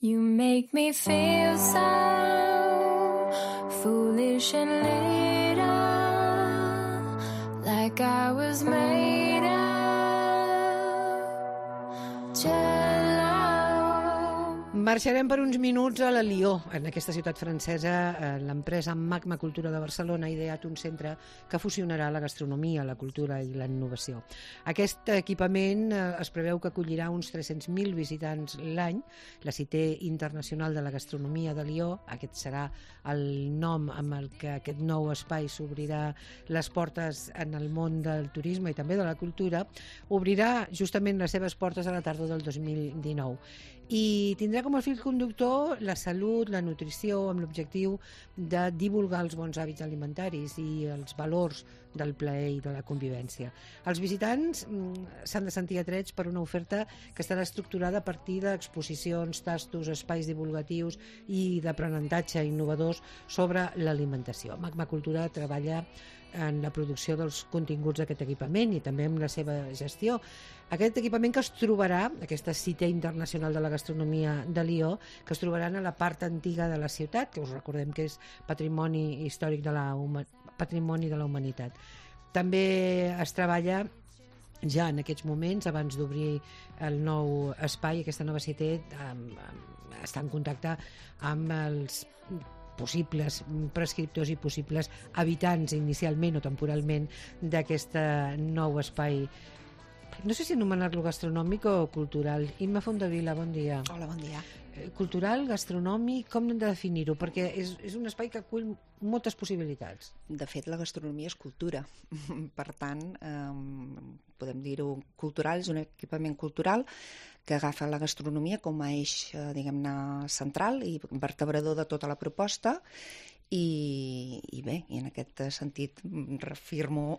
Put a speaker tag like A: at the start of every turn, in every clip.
A: You make me feel so foolish and little, like I was made of jello.
B: Marxarem per uns minuts a la Lió, en aquesta ciutat francesa. L'empresa Magma Cultura de Barcelona ha ideat un centre que fusionarà la gastronomia, la cultura i la innovació. Aquest equipament es preveu que acollirà uns 300.000 visitants l'any. La Cité Internacional de la Gastronomia de Lió, aquest serà el nom amb el que aquest nou espai s'obrirà les portes en el món del turisme i també de la cultura, obrirà justament les seves portes a la tardor del 2019 i tindrà com a fil conductor la salut, la nutrició, amb l'objectiu de divulgar els bons hàbits alimentaris i els valors del plaer i de la convivència. Els visitants s'han de sentir atrets per una oferta que estarà estructurada a partir d'exposicions, tastos, espais divulgatius i d'aprenentatge innovadors sobre l'alimentació. Magma Cultura treballa en la producció dels continguts d'aquest equipament i també en la seva gestió. Aquest equipament que es trobarà, aquesta Cité Internacional de la Gastronomia de Lió, que es trobaran a la part antiga de la ciutat, que us recordem que és patrimoni històric de la humanitat. També es treballa ja en aquests moments, abans d'obrir el nou espai, aquesta nova cité, està en contacte amb els possibles prescriptors i possibles habitants inicialment o temporalment d'aquest nou espai. No sé si anomenar-lo gastronòmic o cultural. Imma Fondavila, bon dia.
C: Hola, bon dia.
B: Cultural, gastronòmic, com hem de definir-ho? Perquè és un espai que acull moltes possibilitats.
C: De fet, la gastronomia és cultura. Per tant, podem dir-ho cultural, és un equipament cultural que agafa la gastronomia com a eix, diguem-ne, central i vertebrador de tota la proposta. I bé, i en aquest sentit reafirmo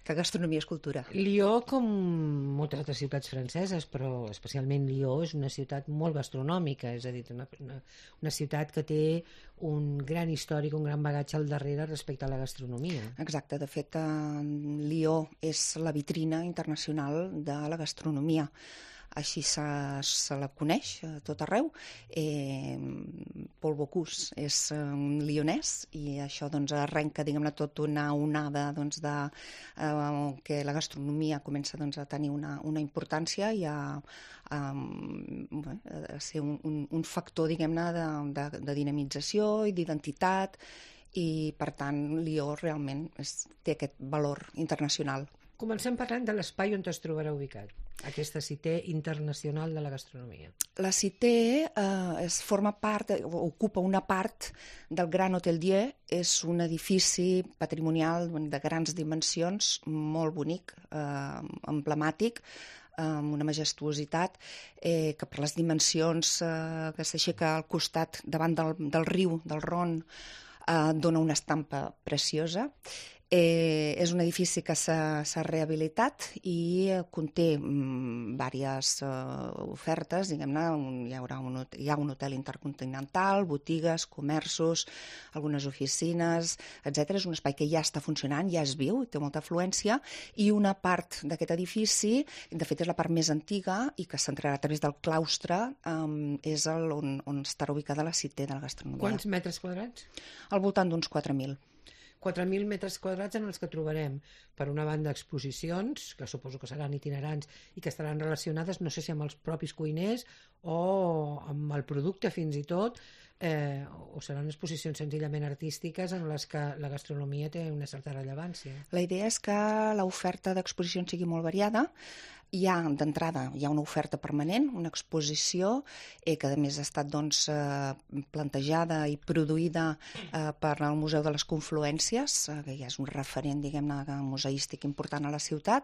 C: que gastronomia és cultura.
B: Lió, com moltes altres ciutats franceses, però especialment Lió, és una ciutat molt gastronòmica, és a dir, una ciutat que té un gran històric, un gran bagatge al darrere respecte a la gastronomia.
C: Exacte, de fet, Lió és la vitrina internacional de la gastronomia. Així se la coneix a tot arreu. Paul Bocuse és un lionès i això doncs, arrenca, diguem-ne, tot una onada doncs, de que la gastronomia comença doncs, a tenir una importància i a ser un factor, diguem-ne, de dinamització i d'identitat, i per tant Lió realment té aquest valor internacional.
B: Comencem parlant de l'espai on es trobarà ubicat, aquesta Cité Internacional de la Gastronomia.
C: La Cité forma part, ocupa una part del Gran Hotel Dieu. És un edifici patrimonial de grans dimensions, molt bonic, emblemàtic, amb una majestuositat que per les dimensions que s'aixeca al costat davant del riu, del Ron, dona una estampa preciosa. És un edifici que s'ha rehabilitat i conté diverses ofertes, diguem-ne. Hi ha un hotel intercontinental, botigues, comerços, algunes oficines, etc. És un espai que ja està funcionant, ja és viu, té molta afluència, i una part d'aquest edifici, de fet és la part més antiga i que s'entrarà a través del claustre, és on estarà ubicada la Cité de la Gastronomia.
B: Quants metres quadrats?
C: Al voltant d'uns 4.000.
B: 4.000 metres quadrats en els que trobarem, per una banda, exposicions, que suposo que seran itinerants i que estaran relacionades, no sé si amb els propis cuiners o amb el producte fins i tot, o seran exposicions senzillament artístiques en les que la gastronomia té una certa rellevància.
C: La idea és que l'oferta d'exposicions sigui molt variada. D'entrada hi ha una oferta permanent, una exposició que a més ha estat plantejada i produïda per al Museu de les Confluències, que ja és un referent, diguem-ne, museístic important a la ciutat,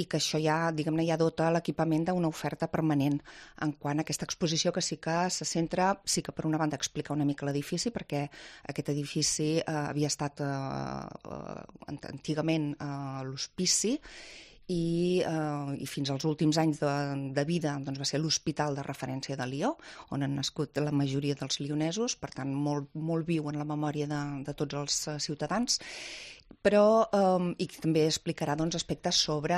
C: i que això ja dota l'equipament d'una oferta permanent en quant a aquesta exposició, que sí que se centra, sí que per una banda explica una mica l'edifici, perquè aquest edifici havia estat antigament l'hospici, i fins als últims anys de vida va ser l'hospital de referència de Lió, on han nascut la majoria dels lionesos, per tant molt viu en la memòria de tots els ciutadans, però i també explicarà doncs, aspectes sobre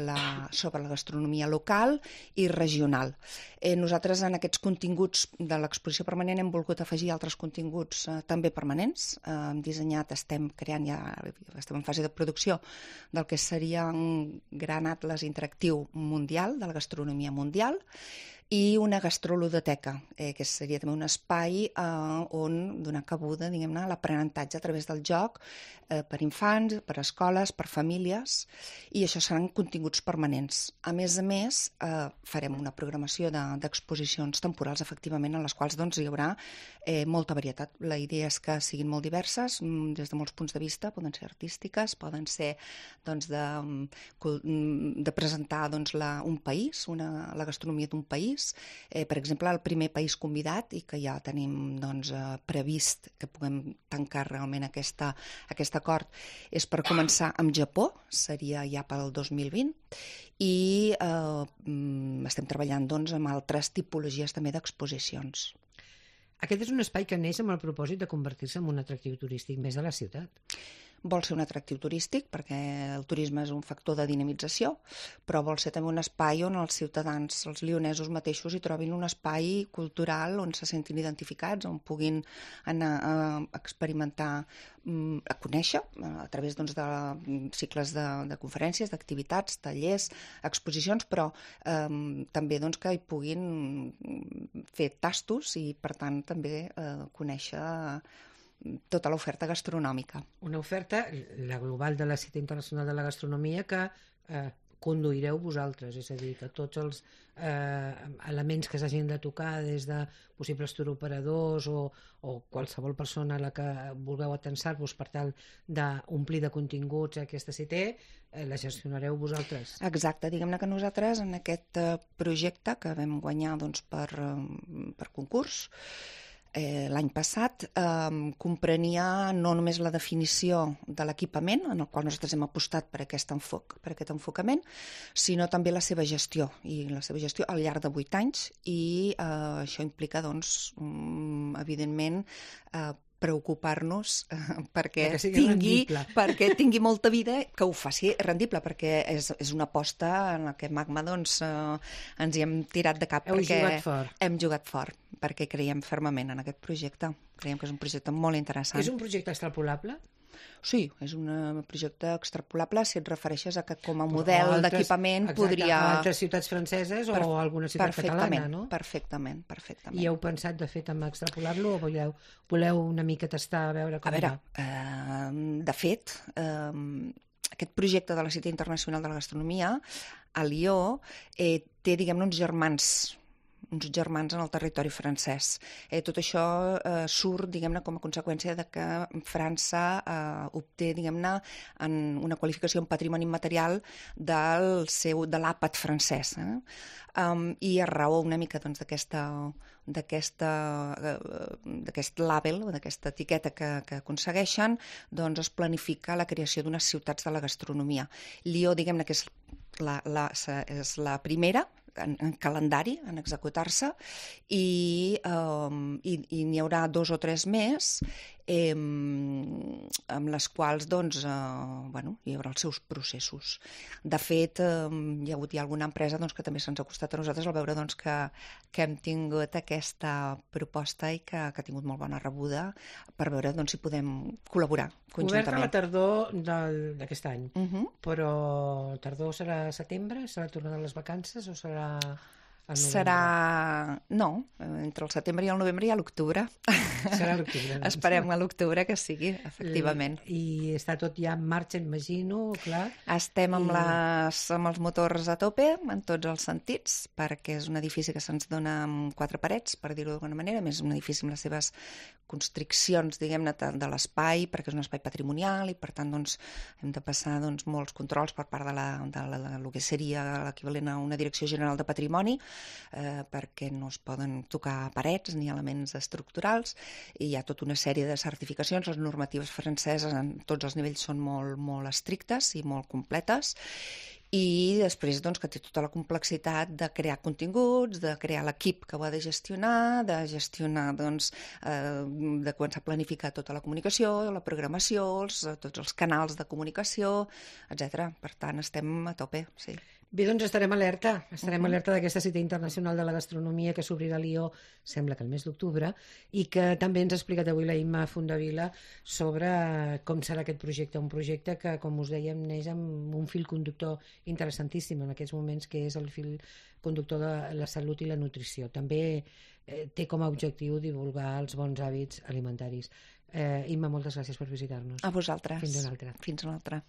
C: la gastronomia local i regional. Nosaltres en aquests continguts de l'exposició permanent hem volgut afegir altres continguts també permanents. Hem dissenyat, estem creant, ja estem en fase de producció del que seria un gran atles interactiu mundial, de la gastronomia mundial, i una gastroludoteca, que seria també un espai on donar cabuda, diguem-ne, a l'aprenentatge a través del joc per infants, per escoles, per famílies, i això seran continguts permanents. A més, farem una programació d'exposicions temporals, efectivament, en les quals doncs, hi haurà molta varietat. La idea és que siguin molt diverses, des de molts punts de vista, poden ser artístiques, poden ser doncs, de presentar doncs, un país, la gastronomia d'un país. Per exemple, el primer país convidat, i que ja tenim doncs, previst que puguem tancar realment aquest acord, és per començar amb Japó, seria ja pel 2020, i estem treballant doncs, amb altres tipologies també d'exposicions.
B: Aquest és un espai que neix amb el propòsit de convertir-se en un atractiu turístic més de la ciutat.
C: Vol ser un atractiu turístic perquè el turisme és un factor de dinamització, però vol ser també un espai on els ciutadans, els lionesos mateixos, hi trobin un espai cultural on se sentin identificats, on puguin anar a experimentar, a conèixer a través doncs, de cicles de conferències, d'activitats, tallers, exposicions, però també doncs, que hi puguin fer tastos i, per tant, també conèixer tota l'oferta gastronòmica.
B: Una oferta, la global de la Cita Internacional de la Gastronomia, que conduireu vosaltres, és a dir, que tots els elements que s'hagin de tocar des de possibles turoperadors o qualsevol persona a la que vulgueu atensar-vos per tal d'omplir de continguts aquesta cita, la gestionareu vosaltres.
C: Exacte, diguem-ne que nosaltres en aquest projecte que vam guanyar doncs, per concurs, l'any passat comprenia no només la definició de l'equipament, en el qual nosaltres hem apostat per aquest enfocament, sinó també la seva gestió, i la seva gestió al llarg de 8 anys, i això implica, doncs, evidentment, preocupar-nos perquè tingui molta vida, que ho faci rendible, perquè és una aposta en la que Magma doncs, ens hi hem tirat de cap. Hem jugat fort, perquè creiem fermament en aquest projecte. Creiem que és un projecte molt interessant.
B: És un projecte extrapolable?
C: Sí, és un projecte extrapolable si et refereixes a que com a model d'equipament podria...
B: A altres ciutats franceses o a alguna ciutat catalana, no?
C: Perfectament.
B: I heu pensat, de fet, en extrapolar-lo o voleu una mica tastar a veure com va?
C: De fet, aquest projecte de la Cita Internacional de la Gastronomia a Lió té, diguem-ne, uns germans en el territori francès. Tot això surt, diguem-ne, com a conseqüència de que França obté, diguem-ne, una qualificació en patrimoni immaterial de l'àpat francès. I a raó una mica doncs, d'aquest label, d'aquesta etiqueta que aconsegueixen, doncs es planifica la creació d'unes ciutats de la gastronomia. Lió, diguem-ne, que és la primera en calendari, en executar-se, i n'hi haurà 2 o 3 més amb les quals doncs, hi haurà els seus processos. De fet, hi ha hagut alguna empresa doncs, que també se'ns ha costat a nosaltres al veure doncs, que hem tingut aquesta proposta i que ha tingut molt bona rebuda per veure doncs, si podem col·laborar conjuntament.
B: Oberta a la tardor d'aquest any, però tardor serà setembre? Serà tornada a les vacances o serà...
C: No, entre el setembre i el novembre i a l'octubre.
B: Serà l'octubre. Doncs.
C: Esperem a l'octubre que sigui, efectivament.
B: I està tot ja en marxa, imagino, clar.
C: Estem amb els motors a tope, en tots els sentits, perquè és un edifici que se'ns dona amb 4 parets, per dir-ho d'alguna manera, a més un edifici amb les seves constriccions, diguem-ne, de l'espai, perquè és un espai patrimonial i, per tant, doncs, hem de passar molts controls per part de lo que seria l'equivalent a una Direcció General de Patrimoni, perquè no es poden tocar parets ni elements estructurals, i hi ha tota una sèrie de certificacions. Les normatives franceses en tots els nivells són molt, molt estrictes i molt completes, i després doncs, que té tota la complexitat de crear continguts, de crear l'equip que ho ha de gestionar doncs, de començar a planificar tota la comunicació, la programació, tots els canals de comunicació, etc. Per tant, estem a tope, sí.
B: Bé, doncs estarem alerta d'aquesta cita internacional de la gastronomia que s'obrirà a Lió, sembla que el mes d'octubre, i que també ens ha explicat avui la Imma Fondavila sobre com serà aquest projecte, un projecte que, com us dèiem, neix amb un fil conductor interessantíssim en aquests moments, que és el fil conductor de la salut i la nutrició. També té com a objectiu divulgar els bons hàbits alimentaris. Imma, moltes gràcies per visitar-nos.
C: A vosaltres.
B: Fins una altra.
C: Fins una altra.